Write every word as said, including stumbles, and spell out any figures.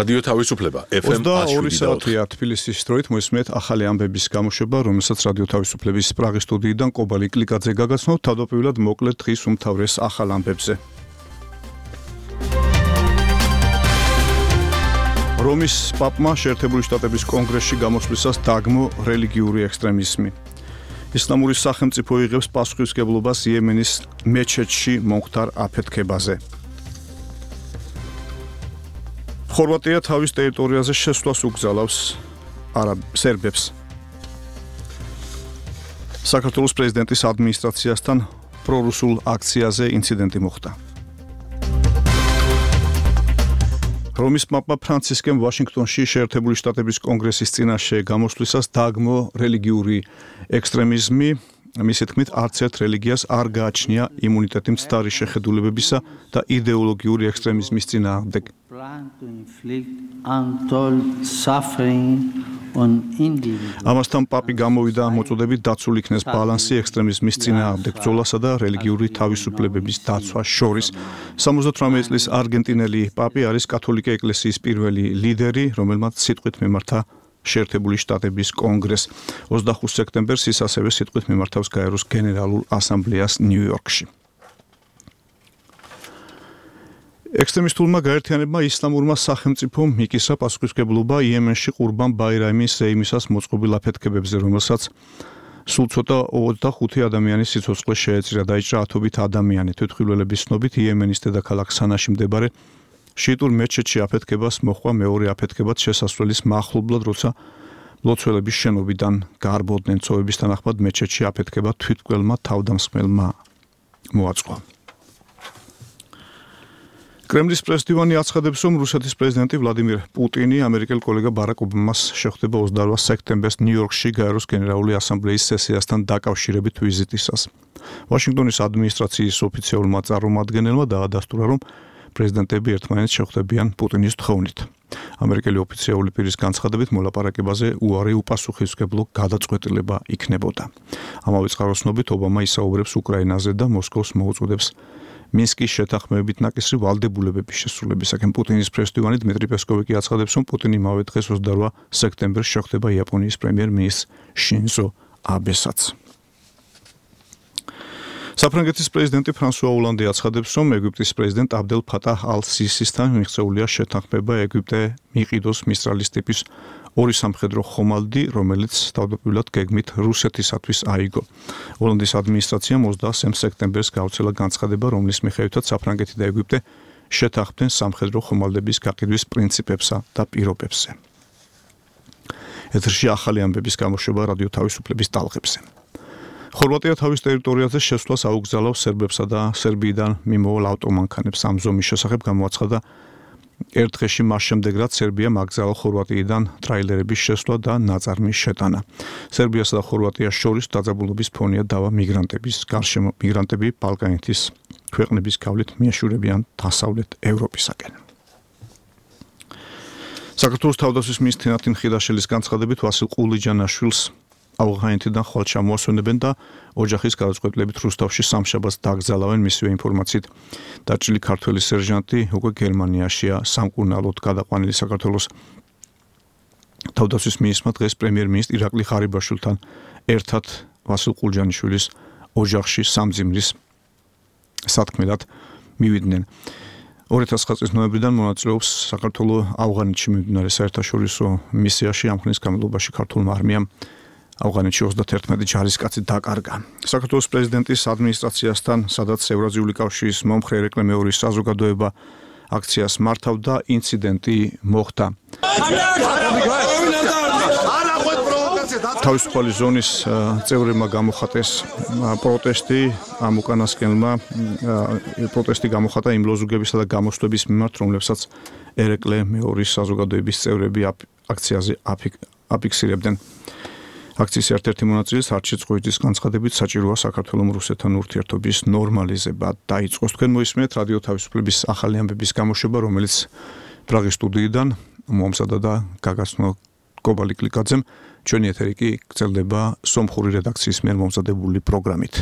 რადიო თავისუფლება ეფ ემ ოცდაორი საათია თბილისის დროით მოისმენთ ახალი ამბების გამოშვება, რომელსაც რადიო თავისუფლების პრაღის სტუდიიდან კობალი კლიკაძე გაგაცნოთ. თავდაპირველად მოკლედ დღის უმთავრეს ახალ ამბებზე. რომის პაპმა შეერთებული შტატების კონგრესში გამოსვლისას დაგმო რელიგიური ექსტრემიზმი. ისლამური სახელმწიფო იღებს პასუხისმგებლობას იემენის მეჩეთში მომხდარ აფეთქებაზე. ხორვატია თავის ტერიტორიაზე შესვლას უგზალავს არაბ სერბებს. საქართველოს პრეზიდენტის ადმინისტრაციასთან პრორუსულ აქციაზე ინციდენტი მოხდა. რომის პაპა ფრანცისკემ ვაშინგტონში შეერთებული შტატების კონგრესის წინაშე გამოსვლისას დაგმო რელიგიური ექსტრემიზმი. მისი თქმით, არც ერთ რელიგიას არ გააჩნია იმუნიტეტი მცდარი შეხედულებებისა და იდეოლოგიური ექსტრემიზმის წინააღმდეგ. ამასთან პაპი გამოვიდა მოწოდებით დაცულ იქნეს ბალანსი ექსტრემიზმის წინააღმდეგ ბრძოლასა და რელიგიური თავისუფლებების დაცვას შორის. სამოცდათვრამეტი წლის არგენტინელი პაპი არის კათოლიკე ეკლესიის პირველი ლიდერი, რომელმაც სიტყვით მიმართა შეერთებული შტატების კონგრესს. ოცდახუთი სექტემბერს ის ასევე სიტყვით მიმართავს გაეროს გენერალურ ასამბლეას ნიუ-იორკში. ექსტრემისტულმა გაერთიანებმა ისლამურმა სახელმწიფომ მიკისა პასუხისმგებლობა იემენში ყურბან ბაირამის ზეიმისას მოწყობილ აფეთქებებზე, რომელსაც სულ ცოტა ოცდახუთი ადამიანის სიცოცხლე შეეწირა. დაიჭრა ათობით ადამიანი. თვითმხილველების ცნობით იემენის დედაქალაქ სანაში მდებარე შიიტურ მეჩეთში აფეთქებას მოჰყვა მეორე აფეთქებაც შესასვლელის მახლობლად, როცა მლოცველების შენობიდან გარბოდნენ. წვევების თანახმად მეჩეთში აფეთქება თვითმკვლელმა თავდამსხმელმა მოაწყო. კრემლის პრესდივანი აცხადებს, რომ რუსეთის პრეზიდენტი ვლადიმირ პუტინი ამერიკელ კოლეგა ბარაკ ობამას შეხვდება ოცდარვა სექტემბერს ნიუ-იორკში გაეროს გენერალური ასამბლეის სესიასთან დაკავშირებით ვიზიტისას. ვაშინგტონის ადმინისტრაციის ოფიციალურმა წარმომადგენელმა დაადასტურა, რომ პრეზიდენტები ერთმანეთს შეხვდებიან პუტინის თხოვნით. ამერიკელი ოფიციალური პირის განცხადებით მოლაპარაკებაზე უარი უპასუხისმგებლო გადაწყვეტილება იქნებოდა. ამავე წყაროსნობით ობამა ისაუბრებს უკრაინაზე და მოსკოვს მოუწოდებს მინსკის შეთანხმებით ნაკისრი ვალდებულებების შესრულებისაკენ. პუტინის პრესდივანი დმიტრი პესკოვი კი აცხადებს, რომ პუტინი იმავე დღეს ოცდარვა სექტემბერს შეხვდება იაპონიის პრემიერ-მინისტრ შინზო აბესაც. საფრანგეთის პრეზიდენტი ფრანსუა ოლანდი აცხადებს, რომ ეგვიპტის პრეზიდენტ აბდელ ფატაჰ ალ-სისისთან მიღწეულია შეთანხმება ეგვიპტე მიყიდოს მისტრალის ტიპის ორი სამხედრო ხომალდი, რომელიც თავდაპირველად გეგმით რუსეთისათვის აიგო. ოლანდის ადმინისტრაციამ ოცდაასი სექტემბერს გაუცელა განცხადება, რომლის მიხედვითაც საფრანგეთი და ეგვიპტე შეთანხმდნენ სამხედრო ხომალდების გაყიდვის პრინციპებსა და პირობებზე. ეთერში ახალი ამბების გამოშვება რადიო თავისუფლების ტალღებზე. ხორვატია თავის ტერიტორიაზე შესვლას აუგზალავს სერბებსა და სერბიიდან მიმოვალ ავტომანქანებს. ამ ზომის შესახებ გამოაცხადა ერთ დღეში მას შემდეგ, რაც სერბიამ აკრძალა ხორვატიიდან ტრაილერების შესვლა და ნაწარმის შეტანა. სერბიასა და ხორვატიას შორის დაძაბულობის ფონია დავა მიგრანტების გარშემო. მიგრანტები ბალკანეთის ქვეყნების გავლით მიეშურებიან დასავლეთ ევროპისაკენ. საქართველოს თავდაცვის მინისტრი ნათინ ხიდაშელის განცხადებით ვასილ ყულიჯანაშვილს ავღანეთიდან ხვალ ჩამოასვენებენ და ოჯახის გადაწყვეტილებით რუსთავში სამშაბათს დაკრძალავენ. მისივე ინფორმაციით დაჭრილი ქართველი სერჟანტი უკვე გერმანიაშია სამკურნალოდ გადაყვანილი. საქართველოს თავდაცვის მინისტრმა დღეს პრემიერ-მინისტრ ირაკლი ღარიბაშვილთან ერთად ვასილ ყულიჯანიშვილის ოჯახში სამძიმრის სათქმელად მივიდნენ. ორი ათას ცხრა წლის ნოემბრიდან მონაწილეობს საქართველოს ავღანეთში მიმდინარე საერთაშორისო მისიაში. ამ ხნის განმავლობაში ქართულმა არმიამ ავღანეთში ოცდაათერთმეტი ჯარისკაცი დაკარგა. საქართველოს პრეზიდენტის ადმინისტრაციასთან, სადაც ევრაზიული კავშირის მომხრე ერეკლე მეორის საზოგადოება აქციას მართავდა, ინციდენტი მოხდა. თავისუფალი ზონის წევრებმა გამოხატეს პროტესტი, ამ უკანასკნელმა პროტესტი გამოხატა იმ ლოზუნგებისა და გამოსვლების მიმართ, რომლებსაც ერეკლე მეორის საზოგადოების წევრები აქციაზე აფიქსირებდნენ. აქციის ერთ-ერთი მონაწილე არჩილ წყვიძის განცხადებით საჭიროა საქართველოს რუსეთთან ურთიერთობის ნორმალიზება დაიწყოს. თქვენ მოისმენთ რადიო თავისუფლების ახალი ამბების გამოშვება, რომელიც პრაღის სტუდიიდან მომზადდა და გაგაცნო კობალი კლიკაძემ. ჩვენი ეთერი კი გრძელდება სომხური რედაქციის მიერ მომზადებული პროგრამით.